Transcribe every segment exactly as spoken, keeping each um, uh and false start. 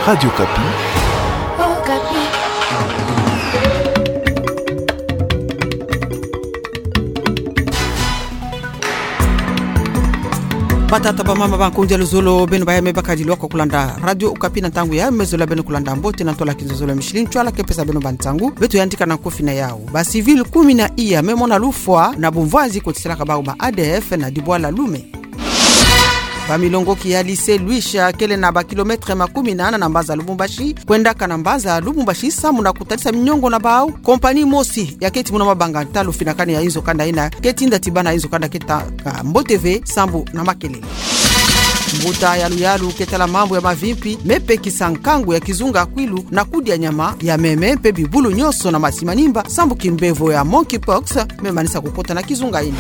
Radio Okapi. Okapi. Batata, bamama, bankundi ya luzolo, beno baya me bakadi lwaka kulanda Radio Okapi na ntangu ya, me zola beno kulanda mbote na ntwala kinzonzolo ya mishili ntwala ke pesa beno ba ntangu, beto yantika na nkofi na yau. Ba civil kumi na iya me mona lufwa na bumvwanzi kotisalaka bau ba A D F na dibwala Loume. Ba milongoki ya lycée Luicha kele na ba kilomètre makumi nana na mbanza Lubumbashi, kwendaka na mbanza Lubumbashi samu na kutadisa miniongo na bau. Compagnie mosi ya keti muna mabanga ntalu finakani ya inzo kanda ina, keti nda tibana inzo kanda keta ka mbote ve sambu na makelele. Mbuta ya luyalu ke tala mambu ya mavimpi me pekisa nkangu ya kizunga Kwilu na kudia nyama ya meme mpe bibulu nyonso na masi manimba sambu kimbevo ya monkeypox me manisa kukota na kizunga ina.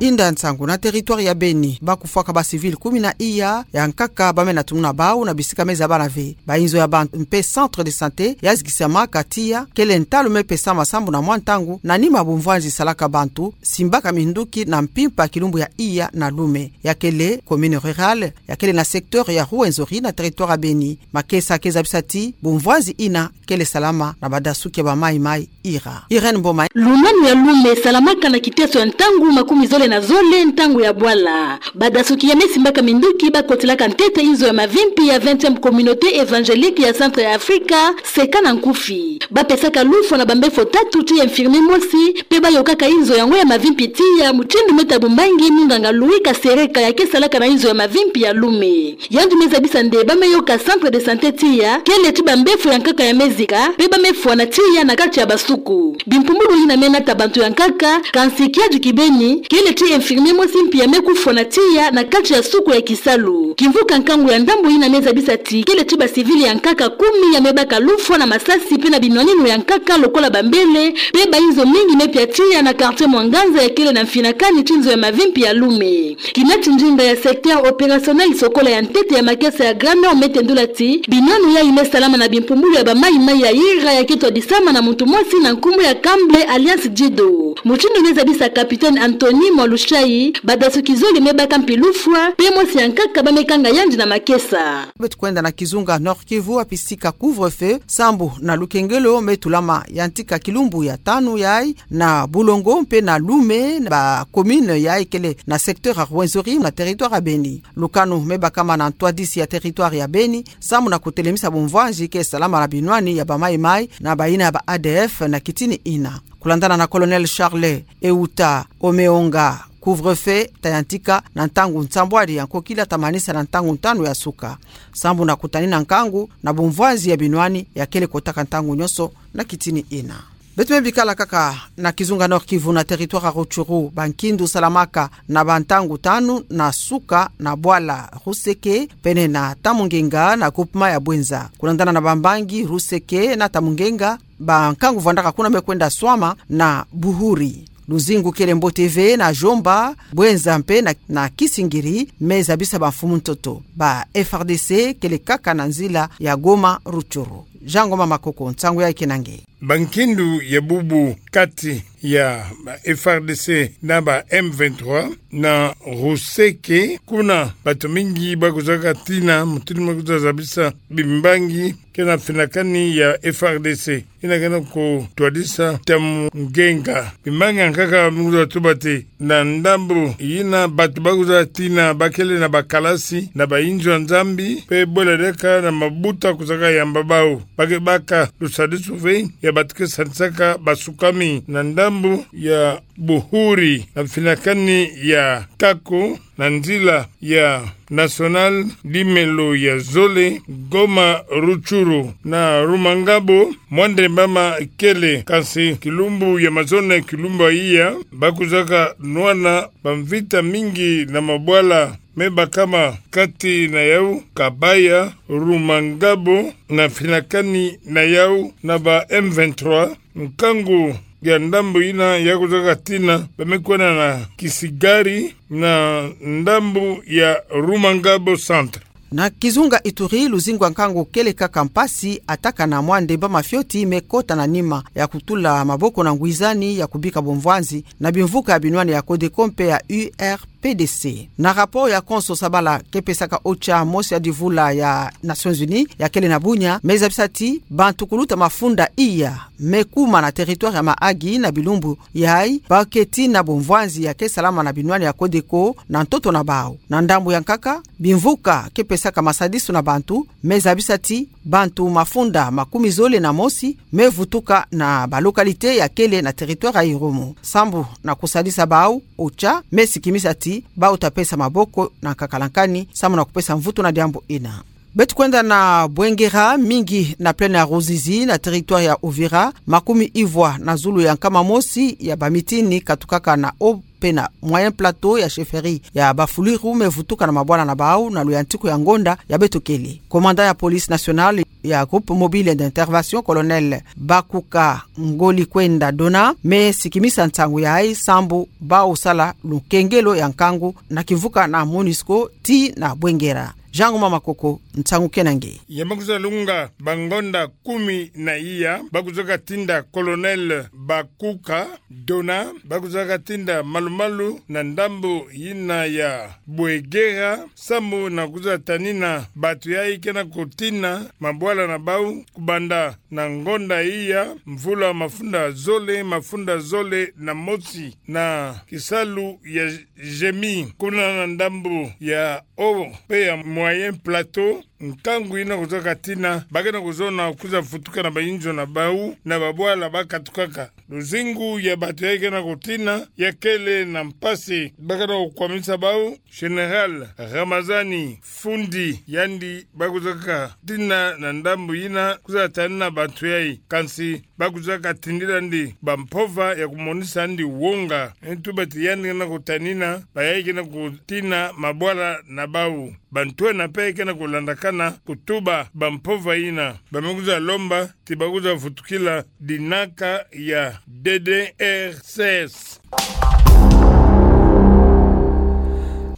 Inda nsangu na territoire ya Beni, ba kufwaka ba civil kumi na iya ya nkaka ba me na tumuna bau na bisika me zabana ve. Ba inzo ya bantu mpe centre de santé ya zikisamaka tiya kele ntalu me pesama sambu na mwa ntangu na nima bumvwanzi salaka bantu simbaka minduki na mpimpa kilumbu ya iya na Loume, ya kele commune rurale, ya kele na secteur ya Rwenzori na territoire ya Beni. Makesa ke zabisa ti bumvwanzi ina kele salama na badasuki ya ba Maï-Maï ira. Irène Mboma. Lunanu ya Loume salamaka na kiteso ya ntangu makumi zole na zole ntangu ya bwala. Badasuki ya me simbaka minduki ba kotilaka ntete inzo ya mavimpi ya vingtième communauté évangélique ya Centre ya Afrika, seka na nkufi. Ba pesaka lufwa na bambefo tatu ti infirmier mosi, mpe ba yokaka inzo yango ya mavimpi tiya, mutindu me tabumbangi munganga Louis Kasereka ya ke salaka na inzo ya mavimpi ya Loume. Yandi me zabisa nde ba me yoka centre de santé tiya kele ti bambefo ya nkaka ya me zika, mpe ba me fwana tiya na kati ya basuku. Bimpumbulu ina me nata bantu ya nkaka, kansi kiadi kibeni, kele ti infirmier mosi mpi ya me kufwana tiya na kati ya suku ya kisalu. Kimvuka nkangu ya ndambu ina me zabisa ti kele ti ba civil ya nkaka kumi ya me baka lufwa na masasi mpe na binwaninu ya nkaka lokola bambele, mpe ba inzo mingi me pia tiya na quartier Mwanganza ya kele na mfinakani ti nzo ya mavimpi ya Loume. Kina ti ndinga ya secteur opérationnel sokola ya ntete ya makesa ya Grand Nord me tendula ti binwanu yayi me salama na bimpumbulu ya ba Maï-Maï ya ira ya ke twadisama na muntu mosi na nkumbu ya Kamble alias Dido. Mutindu me zabisa capitaine Anthony Mwalushai, badasuki zole me baka mpi lufwa, mpe mosi ya nkaka ba me kanga yandi na makesa. Beto kwenda na kizunga Nord-Kivu, wapi sika couvre-feu sambu na lukengelo me tulama yantika kilumbu ya tanu yayi na Bulongo mpe na Loume, na ba commune yayi kele na secteur ya Rwenzori na territoire ya Beni. Lukanu me bakama na ntwadisi ya territoire ya Beni sambu na kutelemisa bumvwanzi ke salama na binwani ya ba Maï-Maï na bayina ya ba A D F na kitini ina. Kulandana na Colonel Charles Euta Omeonga, couvre-feu ta yantika na ntangu nsambwadi ya nkokila ta manisa na ntangu ntanu ya suka, sambu na kutanina nkangu na bumvwanzi ya binwani ya kele kotaka ntangu nyonso na kitini ina. Beto me bikala kaka na kizunga Nord-Kivu, na territoire ya Rutshuru, ba nkindu salamaka na ba ntangu tanu na suka na bwala Ruseke pene na Tamungenga na groupement ya Bouenza. Kulandana na bambangi, Ruseke na Tamungenga, ba nkangu vwandaka kuna me kwenda swama na Buhuri. Luzingu kele mbote ve na Djomba, Bouenza mpe na, na Kisingiri, me zabisa ba mfumu ntoto. Ba F R D C kele kaka na nzila ya Goma Rutshuru. Jean Ngoma Makoko, nsangu yayi kena nge. Ba nkindu ya bubu kati ya ba F R D C na ba M vingt-trois na Ruseke, kuna batu mingi ba kuzaka tina, mutindu me kuza zabisa bimbangi ke na mfinakani ya F R D C ina ke na kutwadisa Tamungenga. Bimbangi ya nkaka me kuza tuba ti na ndambu yina batu ba kuza tina ba kele na bakalasi na ba inzo ya Nzambi, mpe bwela diaka na mabuta kuzaka yamba bau. Ba ke baka lusadisu ve ya batu ke sadisaka basukami na ndambu ya Buhuri, na mfinakani ya Kako, na nzila ya nationale nimelo ya zole, Goma Rutshuru, na Rumangabo, Mwandembama kele, kansi kilumbu ya mazono, kilumbu ya iya, ba kuzaka nwana bamvita mingi na mabwala me bakama kati na yau, Kabaya, Rumangabo, na mfinakani na yau na ba M vingt-trois, nkangu ya ndambu yina ya kuzaka tina, ba me kwenda na Kisigari na ndambu ya Rumangabo Centre. Na kizunga Ituri, luzingu ya nkangu kele kaka mpasi, attaque na Mwandembama fioti me kota na nima ya kutula maboko na ngwizani ya kubika bumvwanzi na bimvuka ya binwani ya Codeco mpe ya U R P D C. Na rapport ya Konso Sabala ke pesaka OCHA mosi ya divula ya Nations Unies ya kele na Bunia, me zabisa ti bantu kuluta mafunda iya me kuma na territoire ya Mahagi na bilumbu yayi, ba ke tina bomvwanzi ya ke salama na binwani ya Codeco na ntoto na bau. Na ndambu ya nkaka, bimvuka ke pesaka masadisu na bantu, me zabisa ti bantu mafunda makumi zole na mosi me vutuka na ba localité ya kele na territoire ya Irumu. Sambu na kusadisa bau, OCHA me sikimisa ti bau ta pesa maboko na nkakalankani sambu na kupesa mvutu na diambu ina. Beto kwenda na Bwengera, mingi na plaine ya Ruzizi na territoire ya Uvira, makumi ivwa na zulu ya nkama mosi ya bamitini katukaka na Haut pe na Moyen Plateau ya chefferie ya Bafuliru me vutuka na mabwala na bau na luyantiku ya ngonda ya beto kele. Commandant ya police nationale ya Groupe Mobile d'Intervention, Colonel Bakuka Ngolikwenda Dona, me sikimisa nsangu yayi sambu bau sala lukengelo ya nkangu na kimvuka na MONUSCO tii na Bwengera. Jean Ngoma Makoko, nsangu kena nge. Ya me kwiza lunga ba ngonda kumi na iya, ba kwizaka tinda Colonel Bakuka Dona, ba kwizaka tinda malumalu na ndambu yina ya Bwengera, sambu na kwiza tanina bantu yayi kena kutina mabwala na bau, kubanda na ngonda iya, mvula mafunda zole, mafunda zole na mosi, na kisalu ya Jemi, kuna na ndambu ya Haut pe ya Moyen Plateau, nkangu yina kwizaka tina, ba kena kuzona kwiza vutuka na bayinzo na bau, na babwala ba katukaka. Luzingu ya bantu yayi kena kutina, ya kele na mpasi, ba kena kukwamisa bau. Général Ramazani Fundi, yandi ba kwizaka tina na ndambu yina, kwiza tanina bantu yayi, kansi ba kwizaka tindila ndi bampova ya kumonisa ndi wonga. Ntu bati yandi kena kutanina bayayi kena kutina mabwala na bau. Bantwenia mpe kena kulandakana kutuba bampova yina. Ba me kwiza lomba ti ba kwiza vutukila dinaka ya D D R C S.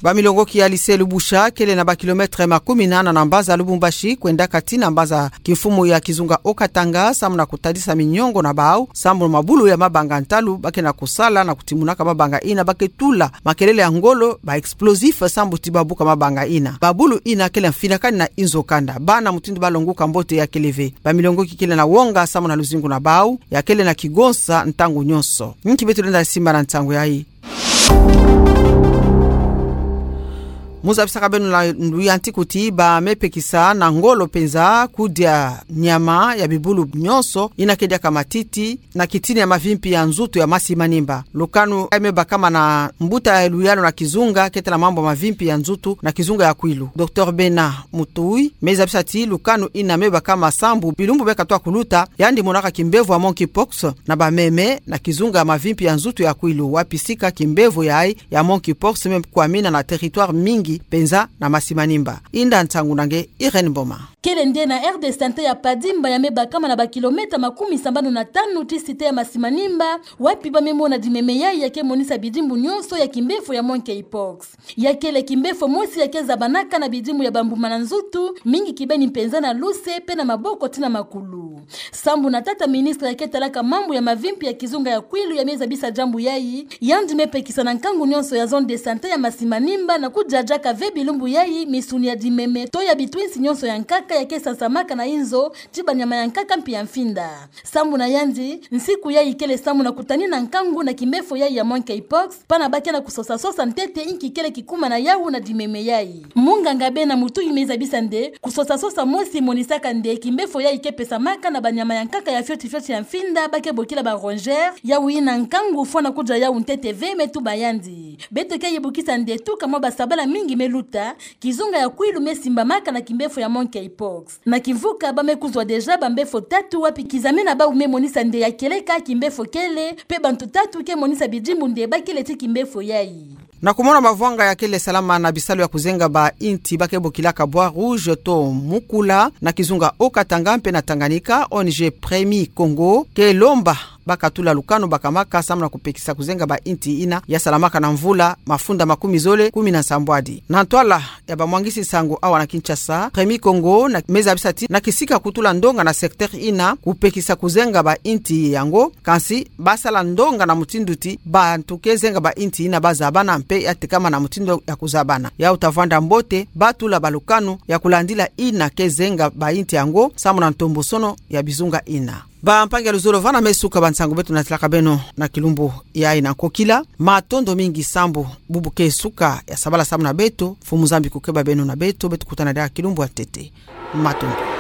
Bamilongoki ya lycée Lubusha, kele na ba kilomètre makumi nana na mbanza Lubumbashi, kwendaka tii na mbanza kimfumu ya kizunga Haut-Katanga, sambu na kutadisa miniongo na bau, sambu na mabulu ya mabanga ntalu ba kena kusala na kutimunaka mabanga yina, ba ke tula makelele ya ngolo, ba explosif, sambu ti ba buka mabanga yina. Mabulu yina kele mfinakani na inzo kanda. Bana mutindu ba longuka mbote ya kele ve. Bamilongoki kele na wonga sambu na luzingu na bau, ya kele na kigonsa ntangu nyonso. Nki beto lenda simba na nsangu yayi. Mu zabisaka beno na luyantiku ti ba me pekisa na ngolo mpenza kudia nyama ya bibulu nyonso, yina ke diaka matiti, na kitini ya mavimpi ya nzutu ya Masi Manimba. Lukanu yayi me bakama na mbuta ya luyalu na kizunga keta na mambu ya mavimpi ya nzutu na kizunga ya Kwilu, Docteur Bena Mutui, me zabisa ti lukanu yina me bakama sambu bilumbu me katoa kuluta, yandi monaka kimbevo ya monkeypox na bameme na kizunga ya mavimpi ya nzutu ya Kwilu, wapi sika kimbevo yayi ya monkeypox me kwamina na territoire mingi mpenza na Masi Manimba. Inda nsangu na nge, Irène Mboma. Kele nde na aire de santé ya Padimba, ya me bakama na ba kilomètre makumi sambanu na tanu ti cité ya Masi Manimba, wapi ba me mona dimeme yayi ya ke monisa bidimbu nyonso ya kimbevo ya monkeypox. Ya kele kimbevo mosi ya ke zabanaka na bidimbu ya bambuma na nzutu, mingi kibeni mpenza na luse, mpe na maboko tii na makulu. Sambu na tata ministre ya ke talaka mambu ya mavimpi ya kizunga ya Kwilu, ya me zabisa diambu yayi, yandi me pekisa na nkangu nyonso ya zone de santé ya Masi Manimba na kudiadiaka ve bilumbu yayi misuni ya dimeme to ya bitwinsi nyonso ya nkaka ya ke sasamaka na inzo ti banyama ya nkaka mpi ya mfinda. Sambu na yandi, nsiku yayi kele sambu na kutanina nkangu na kimbevo yayi ya monkeypox, pana ba ke na kusosasosa ntete inki kele kikuma na yawu na dimeme yayi. Munganga Bena Mutui me zabisa nde, kusosasosa mosi monisaka nde kimbevo yayi ke pesamaka na banyama ya nkaka ya fioti fioti ya mfinda ba ke bokila ba rongeurs, yawu yina nkangu fwana kudia yawu ntete ve, me tuba yandi. Beto ke yibukisa nde tuka mwa basabala mingi me luta, kizunga ya Kwilu me simbamaka na kimbevo ya monkeypox. Na kimvuka ba me kuzwa déjà bambevo tatu wapi kizame na bawu me monisa nde ya kieleka kimbevo kele, mpe bantu tatu ke monisa bidimbu nde ba kele ti kimbevo yayi. Na kumona mavwanga ya kele salama na bisalu ya kuzenga ba inti ba ke bokilaka Bois Rouge to Mukula na kizunga Haut-Katanga mpe na Tanganyika, O N G Premier Congo ke lomba bakatula lukanu bakamaka samu na kupekisa kuzenga ba inti ina yasalamaka na mvula mafunda makumi zole kumi na nsambwadi. Na ntwala ya bamwangisi nsangu awa na Kinshasa, Remy Kongo na meza bisati na kisika kutula ndonga na secteur ina kupekisa kuzenga ba inti yango, kansi basala ndonga na mutindu ti bantu ke zenga ba inti ina bazabana mpe ya tekama na mutindu ya kuzabana. Ya uta vwanda mbote batula balukanu ya kulandila ina ke zenga ba inti yango samu na ntombosono ya bizunga ina. Bampangi ya luzolo, vana me suka bansangu beto natalaka beno na kilumbu yayi na nkokila. Matondo mingi sambu bubu ke suka ya sabala samu na beto. Mfumu Nzambi kukeba beno na beto, beto kutana diaka kilumbu ya ntete. Matondo.